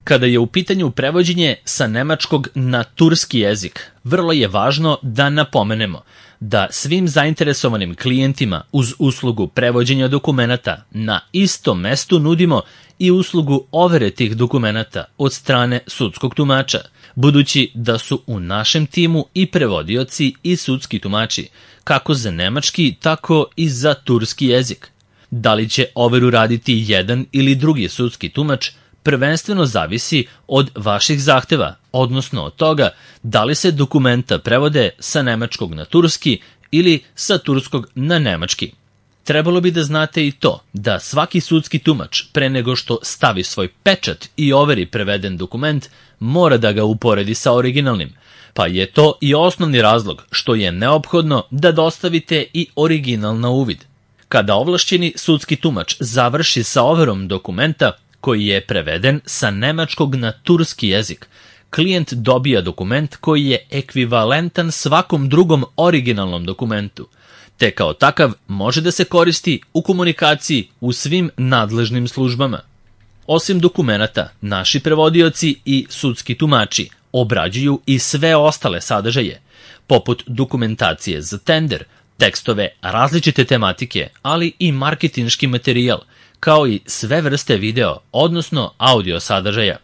Kada je u pitanju prevođenje sa nemačkog na turski jezik, vrlo je važno da napomenemo da svim zainteresovanim klijentima uz uslugu prevođenja dokumenata na istom mestu nudimo i uslugu overe tih dokumenata od strane sudskog tumača, budući da su u našem timu i prevodioci i sudski tumači, kako za nemački, tako i za turski jezik. Da li će overu raditi jedan ili drugi sudski tumač, prvenstveno zavisi od vaših zahteva, odnosno od toga da li se dokumenta prevode sa nemačkog na turski ili sa turskog na nemački. Trebalo bi da znate i to da svaki sudski tumač pre nego što stavi svoj pečat i overi preveden dokument, mora da ga uporedi sa originalnim, pa je to i osnovni razlog što je neophodno da dostavite i original na uvid. Kada ovlašćeni sudski tumač završi sa overom dokumenta koji je preveden sa nemačkog na turski jezik, klijent dobija dokument koji je ekvivalentan svakom drugom originalnom dokumentu, te kao takav može da se koristi u komunikaciji u svim nadležnim službama. Osim dokumenata, naši prevodioci i sudski tumači obrađuju i sve ostale sadržaje, poput dokumentacije za tender, tekstove različite tematike, ali i marketinški materijal, kao i sve vrste video, odnosno audio sadržaja.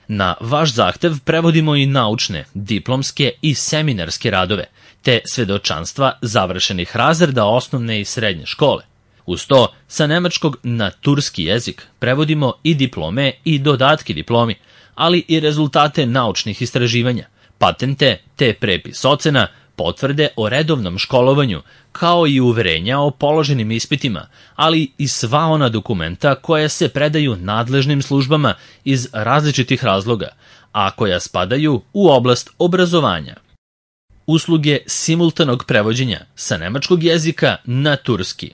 Na vaš zahtev prevodimo i naučne, diplomske i seminarske radove, te svedočanstva završenih razreda osnovne i srednje škole. Uz to, sa nemačkog na turski jezik prevodimo i diplome i dodatke diplomi, ali i rezultate naučnih istraživanja, patente te prepis ocena, potvrde o redovnom školovanju, kao i uverenja o položenim ispitima, ali i sva ona dokumenta koja se predaju nadležnim službama iz različitih razloga, a koja spadaju u oblast obrazovanja. Usluge simultanog prevođenja sa nemačkog jezika na turski.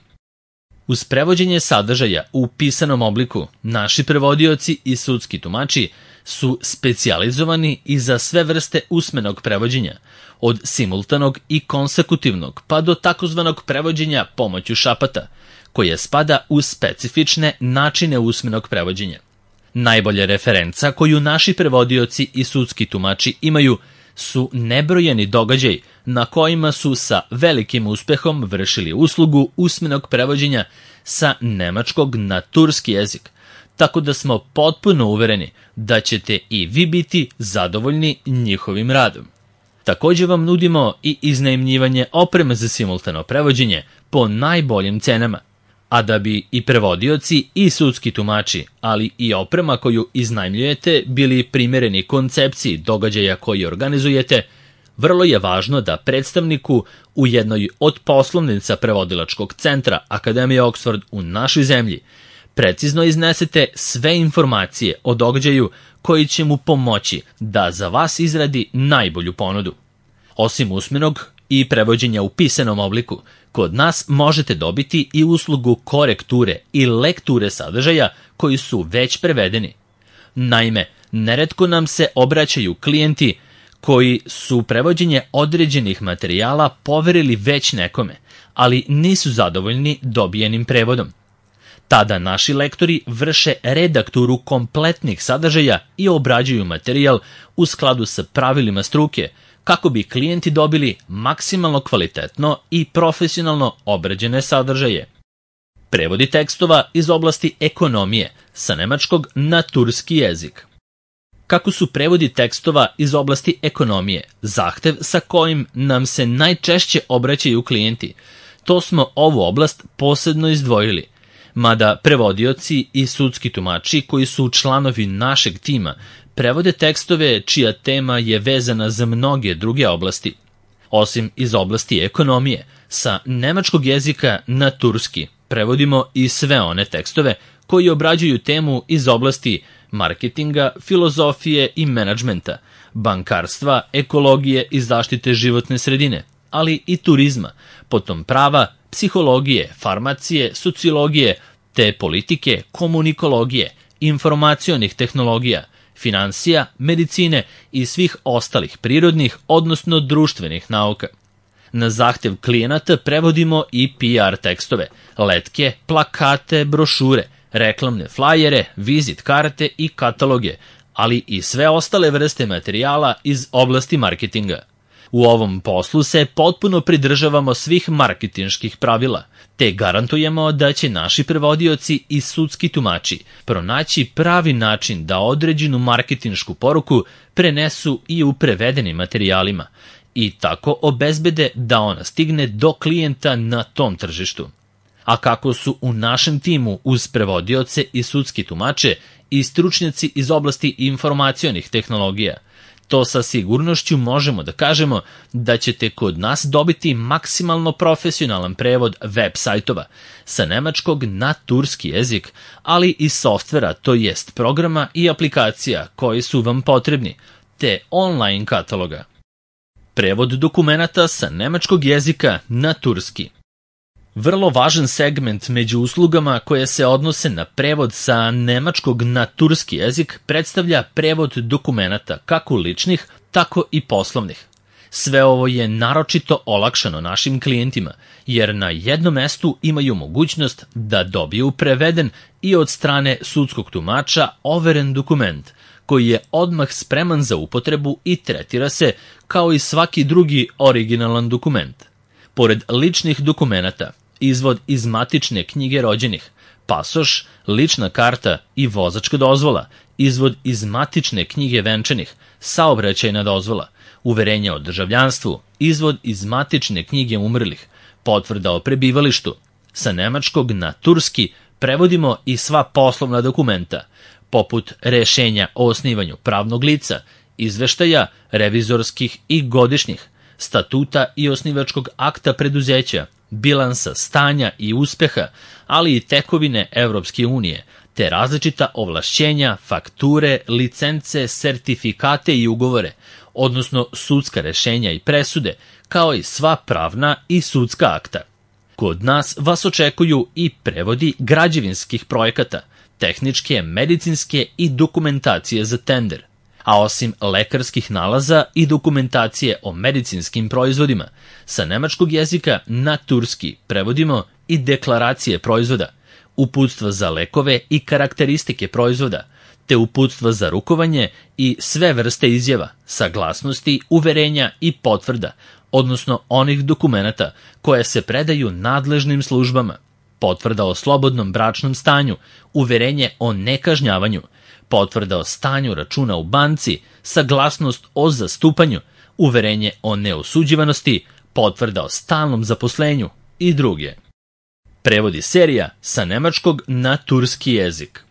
Uz prevođenje sadržaja u pisanom obliku, naši prevodioci i sudski tumači su specijalizovani i za sve vrste usmenog prevođenja, od simultanog i konsekutivnog pa do takozvanog prevođenja pomoću šapata, koje spada u specifične načine usmenog prevođenja. Najbolja referenca koju naši prevodioci i sudski tumači imaju su nebrojeni događaj na kojima su sa velikim uspehom vršili uslugu usmenog prevođenja sa nemačkog na turski jezik, tako da smo potpuno uvereni da ćete i vi biti zadovoljni njihovim radom. Također vam nudimo i iznajmljivanje opreme za simultano prevođenje po najboljim cenama, a da bi i prevodioci i sudski tumači, ali i oprema koju iznajmljujete bili primereni koncepciji događaja koji organizujete, vrlo je važno da predstavniku u jednoj od poslovnica prevodilačkog centra Akademije Oxford u našoj zemlji precizno iznesete sve informacije o događaju koji će mu pomoći da za vas izradi najbolju ponudu. Osim usmenog i prevođenja u pisanom obliku, kod nas možete dobiti i uslugu korekture i lekture sadržaja koji su već prevedeni. Naime, neretko nam se obraćaju klijenti koji su prevođenje određenih materijala poverili već nekome, ali nisu zadovoljni dobijenim prevodom. Tada naši lektori vrše redakturu kompletnih sadržaja i obrađuju materijal u skladu sa pravilima struke, kako bi klijenti dobili maksimalno kvalitetno i profesionalno obrađene sadržaje. Prevodi tekstova iz oblasti ekonomije sa nemačkog na turski jezik. Kako su prevodi tekstova iz oblasti ekonomije zahtev sa kojim nam se najčešće obraćaju klijenti, to smo ovu oblast posebno izdvojili, mada prevodioci i sudski tumači koji su članovi našeg tima prevode tekstove čija tema je vezana za mnoge druge oblasti. Osim iz oblasti ekonomije, sa nemačkog jezika na turski prevodimo i sve one tekstove koji obrađuju temu iz oblasti marketinga, filozofije i menadžmenta, bankarstva, ekologije i zaštite životne sredine, ali i turizma, potom prava, psihologije, farmacije, sociologije, te politike, komunikologije, informacionih tehnologija, finansija, medicine i svih ostalih prirodnih, odnosno društvenih nauka. Na zahtev klijenata prevodimo i PR tekstove, letke, plakate, brošure, reklamne flajere, vizit karte i kataloge, ali i sve ostale vrste materijala iz oblasti marketinga. U ovom poslu se potpuno pridržavamo svih marketinških pravila, te garantujemo da će naši prevodioci i sudski tumači pronaći pravi način da određenu marketinšku poruku prenesu i u prevedenim materijalima i tako obezbede da ona stigne do klijenta na tom tržištu. A kako su u našem timu uz prevodioce i sudski tumače i stručnjaci iz oblasti informacionih tehnologija, to sa sigurnošću možemo da kažemo da ćete kod nas dobiti maksimalno profesionalan prevod web sajtova sa nemačkog na turski jezik, ali i softvera, to jest programa i aplikacija koji su vam potrebni, te online kataloga. Prevod dokumenata sa nemačkog jezika na turski. Vrlo važan segment među uslugama koje se odnose na prevod sa nemačkog na turski jezik predstavlja prevod dokumenata kako ličnih, tako i poslovnih. Sve ovo je naročito olakšano našim klijentima, jer na jednom mestu imaju mogućnost da dobiju preveden i od strane sudskog tumača overen dokument, koji je odmah spreman za upotrebu i tretira se kao i svaki drugi originalan dokument. Pored ličnih dokumenata, izvod iz matične knjige rođenih, pasoš, lična karta i vozačka dozvola, izvod iz matične knjige venčanih, saobraćajna dozvola, uverenja o državljanstvu, izvod iz matične knjige umrlih, potvrda o prebivalištu. Sa nemačkog na turski prevodimo i sva poslovna dokumenta, poput rešenja o osnivanju pravnog lica, izveštaja, revizorskih i godišnjih, statuta i osnivačkog akta preduzeća, bilansa stanja i uspeha, ali i tekovine Evropske unije, te različita ovlašćenja, fakture, licence, sertifikate i ugovore, odnosno sudska rešenja i presude, kao i sva pravna i sudska akta. Kod nas vas očekuju i prevodi građevinskih projekata, tehničke, medicinske i dokumentacije za tender. A osim lekarskih nalaza i dokumentacije o medicinskim proizvodima, sa nemačkog jezika na turski prevodimo i deklaracije proizvoda, uputstva za lekove i karakteristike proizvoda, te uputstva za rukovanje i sve vrste izjava, saglasnosti, uverenja i potvrda, odnosno onih dokumenata koje se predaju nadležnim službama, potvrda o slobodnom bračnom stanju, uverenje o nekažnjavanju, potvrda o stanju računa u banci, saglasnost o zastupanju, uverenje o neosuđivanosti, potvrda o stalnom zaposlenju i druge. Prevodi serija sa nemačkog na turski jezik.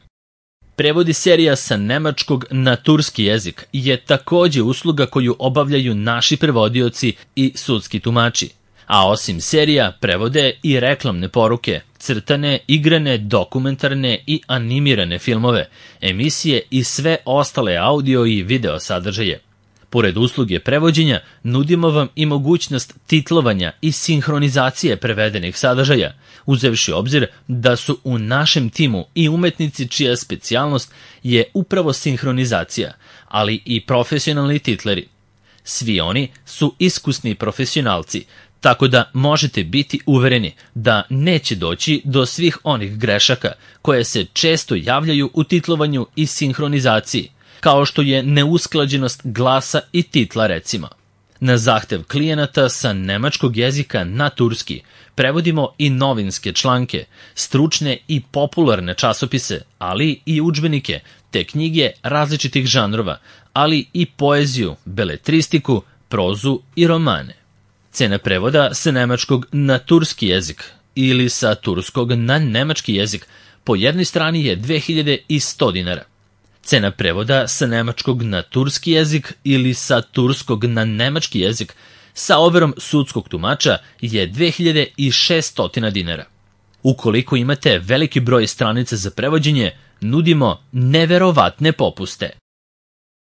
Prevodi serija sa nemačkog na turski jezik je takođe usluga koju obavljaju naši prevodioci i sudski tumači. A osim serija prevode i reklamne poruke, crtane, igrane, dokumentarne i animirane filmove, emisije i sve ostale audio i video sadržaje. Pored usluge prevođenja, nudimo vam i mogućnost titlovanja i sinhronizacije prevedenih sadržaja, uzevši obzir da su u našem timu i umetnici čija specijalnost je upravo sinhronizacija, ali i profesionalni titleri. Svi oni su iskusni profesionalci, tako da možete biti uvereni da neće doći do svih onih grešaka koje se često javljaju u titlovanju i sinhronizaciji, kao što je neusklađenost glasa i titla recimo. Na zahtev klijenata sa nemačkog jezika na turski prevodimo i novinske članke, stručne i popularne časopise, ali i udžbenike, te knjige različitih žanrova, ali i poeziju, beletristiku, prozu i romane. Cena prevoda sa nemačkog na turski jezik ili sa turskog na nemački jezik po jednoj strani je 2100 dinara. Cena prevoda sa nemačkog na turski jezik ili sa turskog na nemački jezik sa overom sudskog tumača je 2600 dinara. Ukoliko imate veliki broj stranica za prevođenje, nudimo neverovatne popuste.